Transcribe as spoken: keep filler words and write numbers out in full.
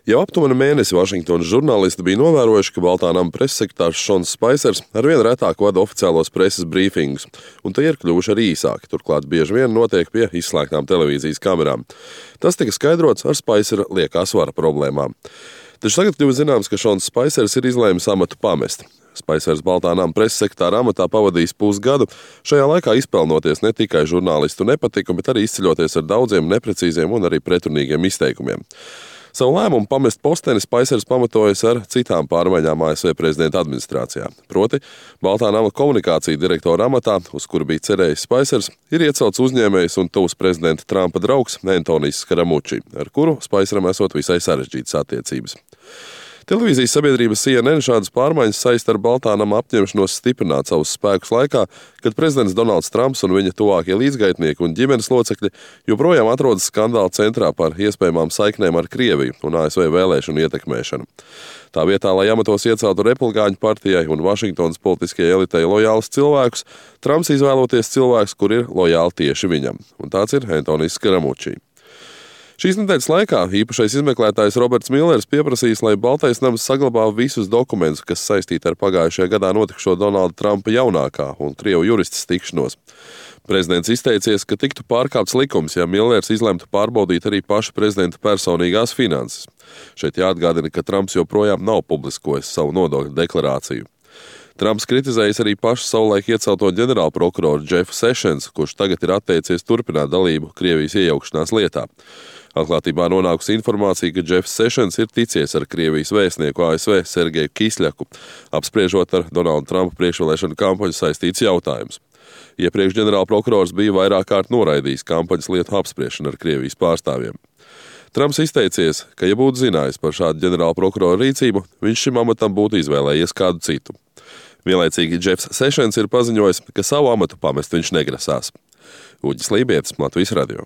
Jau aptuveni mēnesi Vašingtonas žurnālisti bija novērojuši, ka Baltā nama preses sekretārs Šons Spaisers arvien retāk vada oficiālos preses brīfingus, un tie ir kļuvuši arī īsāki, turklāt bieži vien notiek pie izslēgtām televīzijas kamerām. Tas tika skaidrots ar Spaisera liekā svara problēmām. Taču tagad kļuva zināms, ka Šons Spaisers ir izlēmis amatu pamest. Spaisers Baltā nama preses sekretāra amatā pavadījis pusgadu, šajā laikā izpelnoties ne tikai žurnālistu nepatiku, bet arī izceļoties ar daudziem neprecīziem un arī pretrunīgiem izteikumiem. Savu lēmumu pamest posteni Spaisers pamatojas ar citām pārmaiņām A S V prezidenta administrācijā. Proti, Baltā nama komunikācija direktora amatā, uz kuru bija cerējis Spaisers, ir iecelts uzņēmējs un tuvs prezidenta Trumpa draugs Antonijs Skaramuči, ar kuru Spaiseram esot visai sarežģītas attiecības. Televīzijas sabiedrības C N N šādas pārmaiņas saista ar Baltā nama apņemšanos stiprināt savus spēkus laikā, kad prezidents Donalds Trumps un viņa tuvākie līdzgaitnieki un ģimenes locekļi joprojām atrodas skandāla centrā par iespējamām saiknēm ar Krieviju un A S V vēlēšanu ietekmēšanu. Tā vietā, lai amatos ieceltu republikāņu partijai un Vašingtonas politiskajai elitei lojālus cilvēkus, Trumps izvēloties cilvēkus, kur ir lojāli tieši viņam, un tāds ir Antonijs Skaramuči. Šīs nedēļas laikā īpašais izmeklētājs Roberts Millers pieprasījis, lai Baltais nams saglabā visus dokumentus, kas saistīti ar pagājušajā gadā notikušo Donalda Trumpa jaunākā un Krievu juristas tikšanos. Prezidents izteicies, ka tiktu pārkāpts likums, ja Millers izlemtu pārbaudīt arī paša prezidenta personīgās finanses. Šeit jāatgādina, ka Trumps joprojām nav publiskojis savu nodokļu deklarāciju. Trumps kritizējis arī pašu savulaik iecelto ģenerālprokuroru Jeffu Sessions, kurš tagad ir atteicies turpināt dalību Krievijas iejaukšanās lietā. Atklātībā nonākusi informācija, ka Jeffs Sessions ir ticies ar Krievijas vēstnieku A S V Sergeju Kisļaku, apspriežot ar Donalda Trumpa priekšvēlēšanu kampaņu saistīts jautājums. Iepriekš ģenerālprokurors bija vairāk kārt noraidījis kampaņas lietu apspriešanu ar Krievijas pārstāvjiem. Trumps izteicies, ka, ja būtu zinājis par šādu ģenerālprokuroru rīcību, viņš šim amatam būtu izvēlējies kādu citu. Vienlaicīgi Jeffs Sessions ir paziņojis, ka savu amatu pamest viņš negrasās. Uģis Lībietis, Latvijas radio.